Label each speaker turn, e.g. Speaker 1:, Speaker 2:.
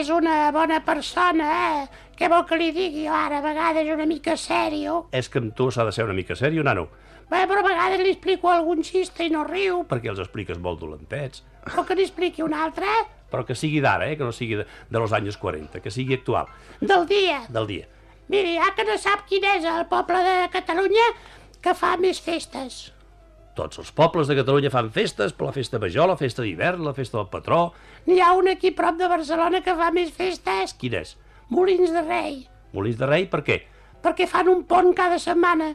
Speaker 1: és una bona persona, Què vol que li digui? Ara, a vegades una mica sèrio.
Speaker 2: És que amb tu s'ha de ser una mica sèrio, nano.
Speaker 1: Bé, però a vegades li explico algun xiste i no riu.
Speaker 2: Perquè els expliques molt dolentets.
Speaker 1: Vol que n'hi expliqui un altre?
Speaker 2: Però que sigui d'ara, que no sigui de los anys 40, que sigui actual.
Speaker 1: Del dia.
Speaker 2: Del dia.
Speaker 1: Miri, que no sap quin és el poble de Catalunya que fa més festes.
Speaker 2: Tots els pobles de Catalunya fan festes, per la festa major, la festa d'hivern, la festa del patró.
Speaker 1: N'hi ha un aquí prop de Barcelona que fa més festes.
Speaker 2: Quin és?
Speaker 1: Molins de Rei.
Speaker 2: Molins de Rei, per què?
Speaker 1: Perquè fan un pont cada setmana.